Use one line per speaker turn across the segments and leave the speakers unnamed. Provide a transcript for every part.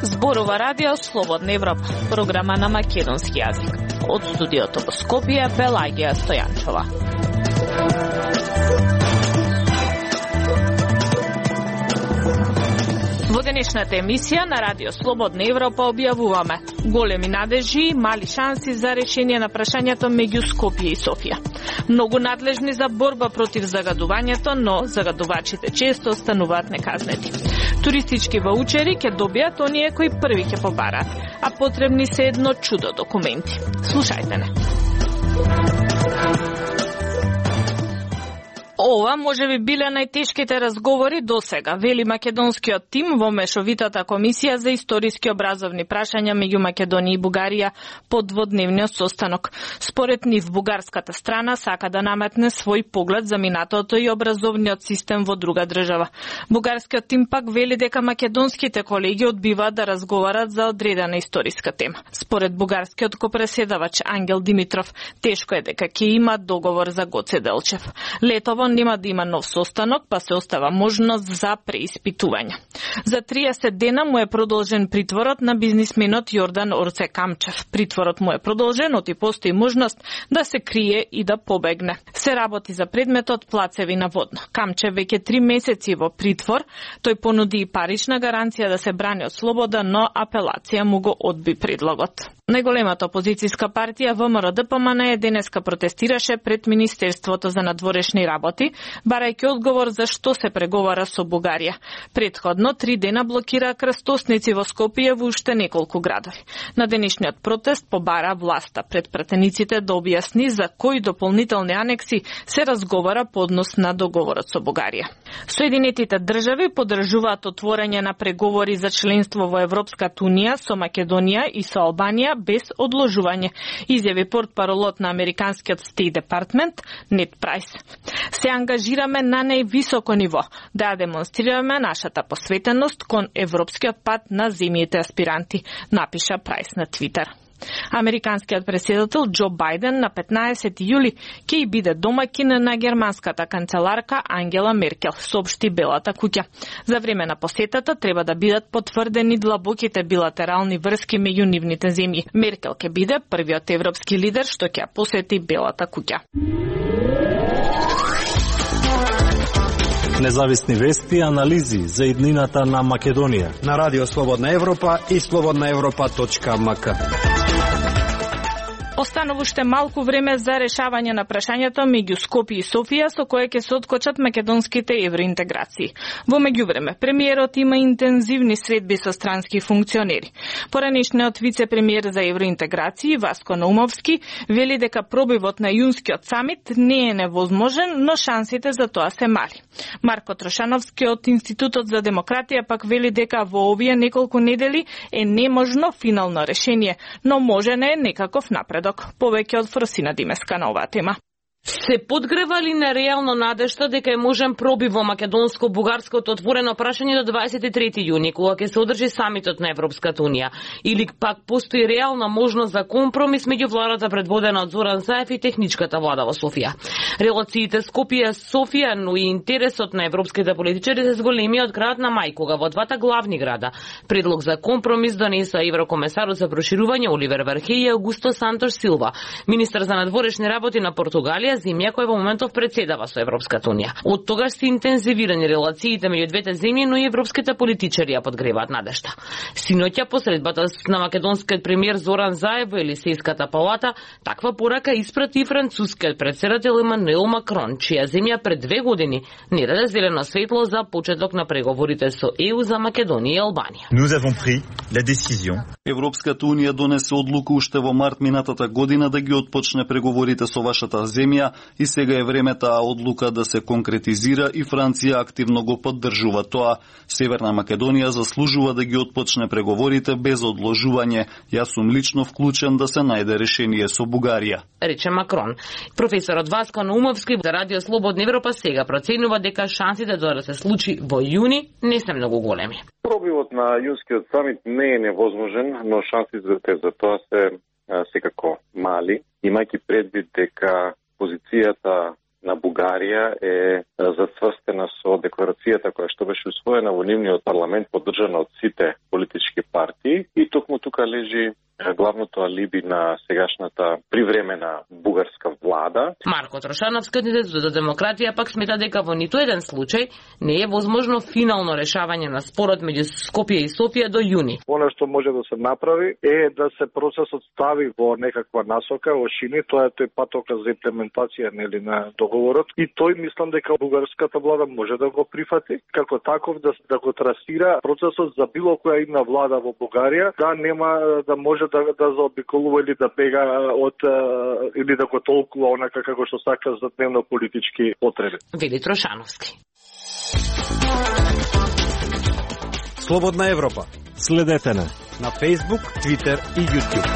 Зборува радио Слободна Европа, програма на македонски јазик. Од студиото во Скопје, Пелагија Стојанчова. Во денешната емисија на радио Слободна Европа објавуваме големи надежи и мали шанси за решение на прашањето меѓу Скопје и Софија. Многу надлежни за борба против загадувањето, но загадувачите често остануваат неказнети. Туристички ваучери ќе добијат оние кои први ќе побараат, а потребни се едно чудо документи. Слушајте не. Ова може би биле најтешките разговори досега, вели македонскиот тим во мешовитата комисија за историски образовни прашања меѓу Македонија и Бугарија по дводневниот состанок. Според нив, бугарската страна сака да наметне свој поглед за минатото и образовниот систем во друга држава. Бугарскиот тим пак вели дека македонските колеги одбиваат да разговарат за одредена историска тема. Според бугарскиот копреседавач Ангел Димитров, тешко е дека ќе има договор за Гоце Делчев. Летово нема да има нов состанок, па се остава можност за преиспитување. За 30 дена му е продолжен притворот на бизнисменот Јордан Орце Камчев. Притворот му е продолжен, оти постои можност да се крие и да побегне. Се работи за предметот плацеви на водно. Камчев веќе 3 месеци во притвор. Тој понуди и парична гаранција да се брани од слобода, но апелација му го одби предлогот. Најголемата опозицијска партија ВМРО-ДПМН денеска протестираше пред Министерството за надворешни работи, барајќи одговор за што се преговара со Бугарија. Претходно 3 дена блокира крстосници во Скопје во уште неколку градови. На денешниот протест побара власта пред пратениците да објасни за кои дополнителни анекси се разговара по однос на договорот со Бугарија. Соединетите држави поддржуваат отворање на преговори за членство во Европската унија со Македонија и со Албанија без одложување, изјави портпаролот на американскиот State Department Нед Прайс. Се ангажираме на највисоко ниво да демонстрираме нашата посветеност кон европскиот пат на земјите аспиранти, напиша Прайс на Твитер. Американскиот претседател Џо Бајден на 15 јули ќе и биде домаќин на германската канцеларка Ангела Меркел, соопшти Белата куќа. За време на посетата треба да бидат потврдени длабоките билатерални врски меѓу нивните земји. Меркел ќе биде првиот европски лидер што ќе посети Белата куќа.
Независни вести и анализи за иднината на Македонија
на Радио Слободна Европа и slobodnaevropa.mk.
Останува уште малку време за решавање на прашањето меѓу Скопје и Софија со кое ќе се откочат македонските евроинтеграции. Во меѓувреме, премиерот има интензивни средби со странски функционери. Поранешниот вице-премиер за евроинтеграции Васко Наумовски вели дека пробивот на јунскиот самит не е невозможен, но шансите за тоа се мали. Марко Трошановски од Институтот за демократија пак вели дека во овие неколку недели е неможно финално решение, но можен е некаков напредок. Повеќе од Фросина Димеска на оваа тема.
Се подгрева ли на реално надежта дека е можен пробив во македонско-бугарското отворено прашање до 23 јуни, кога ќе се одржи самитот на Европската унија? Или пак постои реална можност за компромис меѓу владата предводена од Зоран Заев и техничката влада во Софија? Релациите Скопје-Софија, но и интересот на европските политичари се зголеми од крајот на мај, кога во двата главни града предлог за компромис донеса еврокомесарот за проширување Оливер Вархеј и Аугусто Сантош Силва, министер за надворешни работи на Португалија, земја која во моментов председава со Европската унија. Од тогаш се интензивирани релациите меѓу двете земји, но и европските политичари ја подгреваат надежта. Синоќа посредбата на македонскиот премиер Зоран Заев во Елисејската палата таква порака испрати и францускиот претседател Емануел Макрон, чија земја пред 2 години не даде зелено светло за почеток на преговорите со ЕУ за Македонија и Албанија.
Nous avons pris la décision.
Европската унија донесе одлука уште во март минатата година да ги отпочне преговорите со вашата земја и сега е време таа одлука да се конкретизира и Франција активно го поддржува тоа. Северна Македонија заслужува да ги отпочне преговорите без одложување. Јас сум лично вклучен да се најде решение со Бугарија,
рече Макрон. Професорот Васко Наумовски за Радио Слободна Европа сега проценува дека шансите да се случи во јуни не се многу големи.
Пробивот на јунскиот самит не е невозможен, но шансите за тоа се секако мали, имајќи предвид дека позицијата на Бугарија е зацврстена со декларацијата која што беше усвоена во нивниот парламент, поддржана од сите политички партии, и токму тука лежи главното алиби на сегашната привремена бугарска влада.
Марко Трошановски, кандидат за демократија, пак смета дека во ниту еден случај не е возможно финално решавање на спорот меѓу Скопје и Софија до јуни.
Она што може да се направи е да се процесот стави во некаква насока, во шини, тоа е тој патоказ за имплементација на договорот, и тој мислам дека бугарската влада може да го прифати како таков, да го трасира процесот за било која една влада во Бугарија, да нема да може да заобиколува или да бега од или да го толкува онака како што сака за дневно политички потреби.
Вели Трошановски.
Слободна Европа.
Следете на
Facebook, Twitter и YouTube.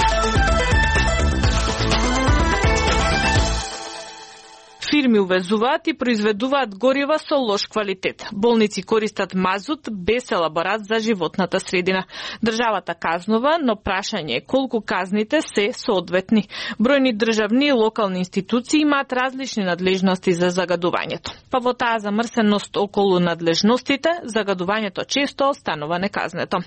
Фирми увезуваат и произведуваат горива со лош квалитет. Болници користат мазут без елаборат за животната средина. Државата казнува, но прашање е колку казните се соодветни. Бројни државни и локални институции имаат различни надлежности за загадувањето. Па во таа замрсеност околу надлежностите, загадувањето често останува неказнето.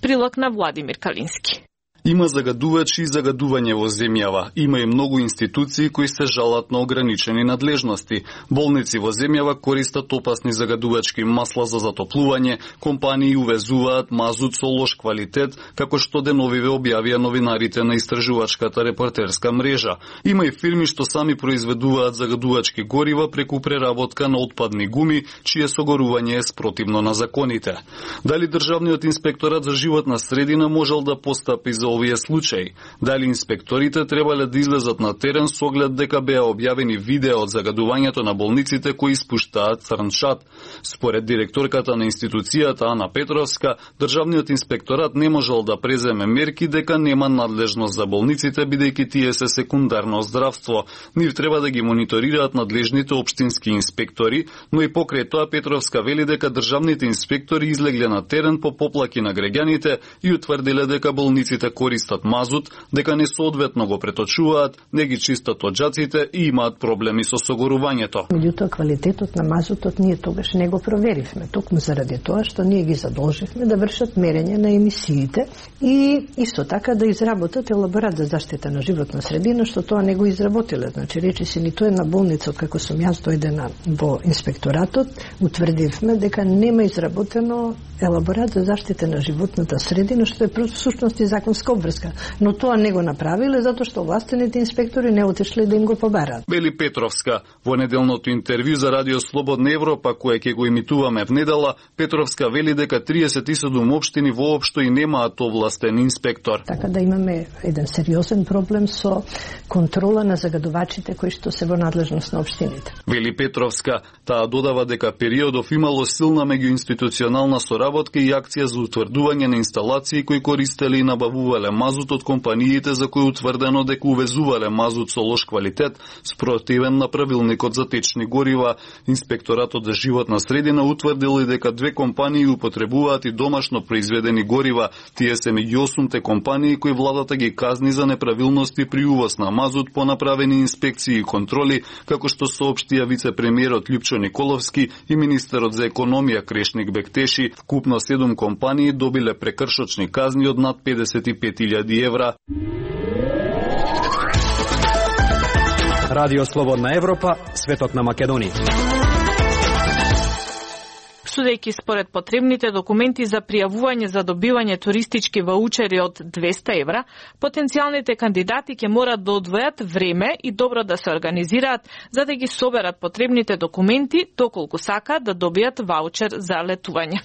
Прилог на Владимир Калински.
Има загадувачи и загадување во земјава. Има и многу институции кои се жалат на ограничени надлежности. Болници во земјава користат опасни загадувачки масла за затоплување, компании увезуваат мазут со лош квалитет, како што деновиве објавија новинарите на истражувачката репортерска мрежа. Има и фирми што сами произведуваат загадувачки горива преку преработка на отпадни гуми, чие согорување е спротивно на законите. Дали Државниот инспекторат за животна средина можел да постапи за овие случаи? Дали инспекторите требале да излезат на терен со оглед дека беа објавени видеа од загадувањето на болниците кои испуштаат црн шат? Според директорката на институцијата Ана Петровска, Државниот инспекторат не можел да преземе мерки дека нема надлежност за болниците, бидејќи тие се секундарно здравство. Нив треба да ги мониторираат надлежните општински инспектори, но и покрај тоа Петровска вели дека државните инспектори излегле на терен по поплаки на граѓаните и утврдиле дека болниците користат мазут, дека несоодветно го преточуваат, не ги чистат оджаците и имаат проблеми со согорувањето.
Меѓутоа, квалитетот на мазутот ние тогаш не го проверивме, токму заради тоа што ние ги задолживме да вршат мерење на емисиите и исто така да изработат елаборат за заштита на животна средина, што тоа не го изработиле. Значи, речи се ниту една болница, како сум јас дојдена во инспекторатот, утврдивме дека нема изработено елаборат за заштита на животната средина, што е всушност и законска обврска. Но тоа не го направиле затоа што властените инспектори не отишле да им го побараат.
Бели Петровска во неделното интервју за Радио Слободна Европа, кое ќе го имитуваме в недела, Петровска вели дека 37 општини воопшто и немаат овластен инспектор.
Така да имаме еден сериозен проблем со контрола на загадувачите кои што се во надлежност на општините.
Вели Петровска, таа додава дека периодов имало силна меѓуинституционална соработка и акција за утврдување на инсталации кои користеле и набавувале мазут од компаниите за кои утврдено дека увезувале мазут со лош квалитет, спротивен на правилникот за течни горива. Инспекторатот за животна средина утврдил и дека две компании употребуваат и домашно произведени горива. Тие се меѓу 8-те компании кои владата ги казни за неправилности при увоз на мазут по направени инспекции и контроли, како што соопштија вице-премиерот Љупчо Николовски и министерот за економија Крешник Бектеши. Вкупно 7 компании добиле прекршочни казни од над 55.000 евра.
Радио Слободна Европа, светот на Македонија.
Судејќи според потребните документи за пријавување за добивање туристички ваучери од 200 евра, потенцијалните кандидати ќе морат да одвојат време и добро да се организираат за да ги соберат потребните документи доколку сакаат да добијат ваучер за летување.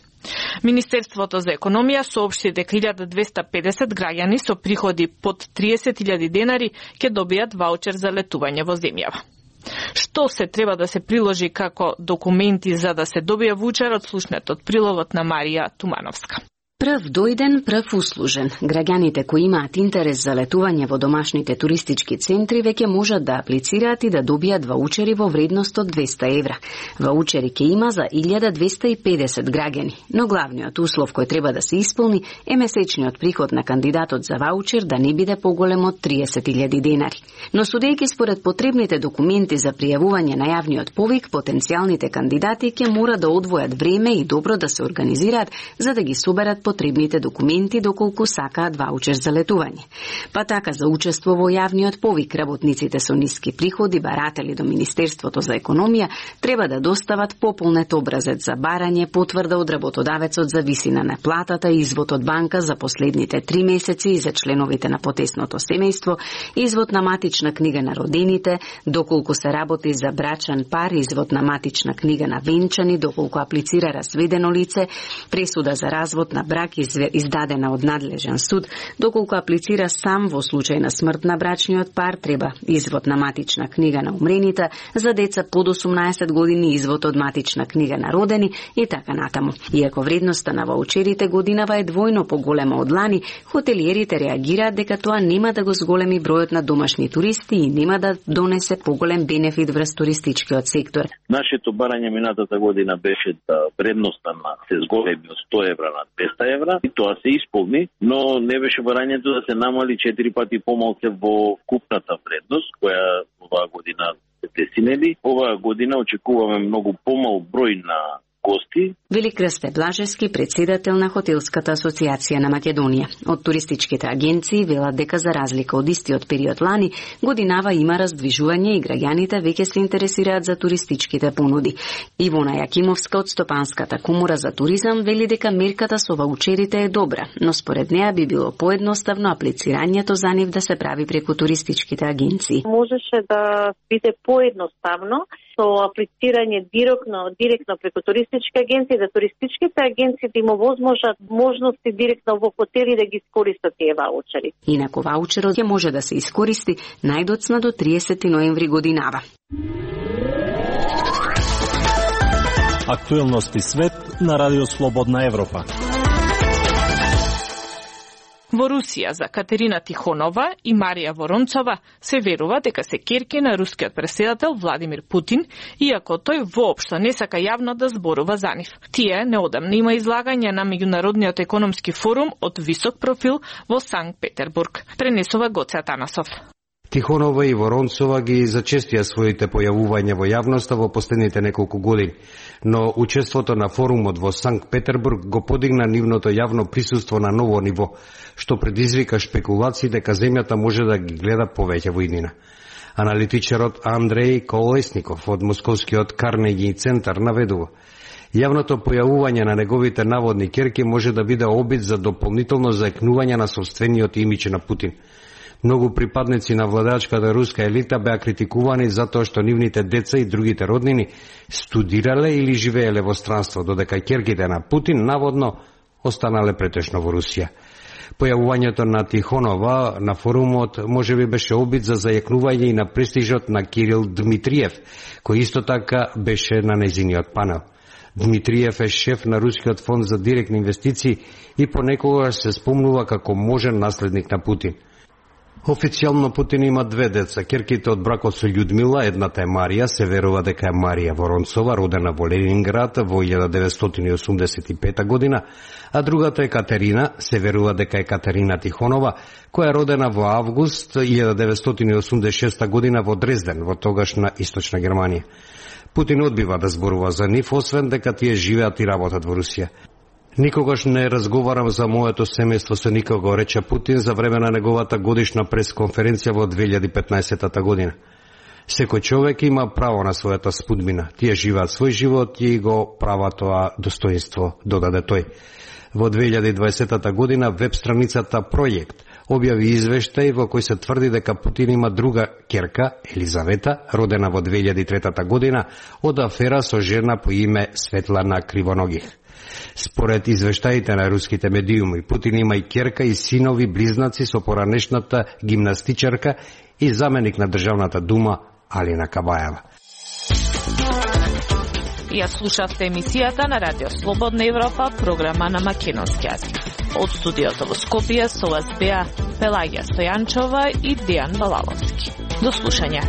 Министерството за економија соопшти дека 1250 граѓани со приходи под 30.000 денари ќе добијат ваучер за летување во земјава. Што се треба да се приложи како документи за да се добие ваучерот, слушнете од прилогот на Марија Тумановска.
Прв дојден, прв услужен. Граѓаните кои имаат интерес за летување во домашните туристички центри веќе можат да аплицираат и да добијат ваучери во вредност од 200 евра. Ваучери ќе има за 1250 граѓани, но главниот услов кој треба да се исполни е месечниот приход на кандидатот за ваучер да не биде поголем од 30.000 денари. Но судејќи според потребните документи за пријавување на јавниот повик, потенцијалните кандидати ќе мора да одвојат време и добро да се организираат за да ги соберат потребните документи доколку сакаат ваучер за летување. Па така за учество во јавниот повик работниците со ниски приходи, баратели до Министерството за економија, треба да достават пополнет образец за барање, потврда од работодавецот за висина на платата, извод од банка за последните 3 месеци и за членовите на потесното семејство, извод на матична книга на родените, доколку се работи за брачен пар, извод на матична книга на венчани, доколку аплицира разведено лице, пресуда за развод на брак издадена од надлежен суд, доколку аплицира сам во случај на смрт на брачниот пар, треба извод на матична книга на умрените, за деца под 18 години извод од матична книга на родени и така натаму. Иако вредноста на ваучерите годинава е двојно поголема од лани, хотелиерите реагираат дека тоа нема да го зголеми бројот на домашни туристи и нема да донесе поголем бенефит врз туристичкиот сектор.
Нашето барање минатата година беше да вредноста на се зголеми од 100 евра на 200 евра и тоа се исполни, но не беше барањето да се намали 4 пати помалку во купната вредност, која оваа година се десинели. Оваа година очекуваме многу помал број на гости.
Вели Крсте Блажевски, председател на Хотелската асоциација на Македонија. Од туристичките агенции велат дека за разлика од истиот период лани, годинава има раздвижување и граѓаните веќе се интересираат за туристичките понуди. Ивона Јакимовска од Стопанската комора за туризам вели дека мерката со ваучерите е добра, но според неа би било поедноставно аплицирањето за нив да се прави преку туристичките агенции.
Можеше да биде поедноставно со аплицирање директно преку туристички агенции, да туристичките агенции да има можности директно во хотели да ги искористат тие ваучери.
Инаку ваучерот ќе може да се искористи најдоцна до 30 ноември годинава.
Актуелности свет на Радио Слободна Европа.
Во Русија за Катерина Тихонова и Марија Воронцова се верува дека се ќерки на рускиот претседател Владимир Путин, иако тој воопшто не сака јавно да зборува за нив. Тие неодамна има излагање на Меѓународниот економски форум од висок профил во Санкт Петербург. Пренесува Гоце Атанасов.
Тихонова и Воронцова ги зачестија своите појавувања во јавноста во последните неколку години, но учеството на форумот во Санкт Петербург го подигна нивното јавно присуство на ново ниво, што предизвика шпекулации дека земјата може да ги гледа повеќе во иднина. Аналитичарот Андреј Колесников од Московскиот Карнеги центар наведува: јавното појавување на неговите наводни ќерки може да биде обид за дополнително заекнување на сопствениот имидж на Путин. Многу припадници на владачката руска елита беа критикувани затоа што нивните деца и другите роднини студирале или живееле во странство, додека ќерките на Путин наводно останале претешно во Русија. Појавувањето на Тихонова на форумот можеби беше обид за зајакнување и на престижот на Кирил Дмитриев, кој исто така беше на нејзиниот панел. Дмитриев е шеф на Рускиот фонд за директни инвестиции и понекогаш се спомнува како можен наследник на Путин. Официјално Путин има 2 деца. Ќерките од бракот со Људмила, едната е Марија, се верува дека е Марија Воронцова, родена во Ленинград во 1985 година, а другата е Катерина, се верува дека е Катерина Тихонова, која е родена во август 1986 година во Дрезден, во тогашна Источна Германија. Путин одбива да зборува за нив, освен дека тие живеат и работат во Русија. Никогаш не разговарам за моето семејство со никого, рече Путин за време на неговата годишна пресконференција во 2015 година. Секој човек има право на својата спудбина. Тие живеат свој живот и го права тоа достоинство, додаде тој. Во 2020 година веб страницата Проект објави извештај во кој се тврди дека Путин има друга ќерка, Елизавета, родена во 2003 година од афера со жена по име Светлана Кривоногих. Според извештаите на руските медиуми, Путин има и ќерка и синови близнаци со поранешната гимнастичарка и заменик на Државната дума Алина Кабаева.
Ја слушавте емисијата на Радио Слободна Европа, програма на македонски јазик. Од студиото во Скопје со вас беа Пелагија Стојанчова и Дијан Балаловски. До слушање.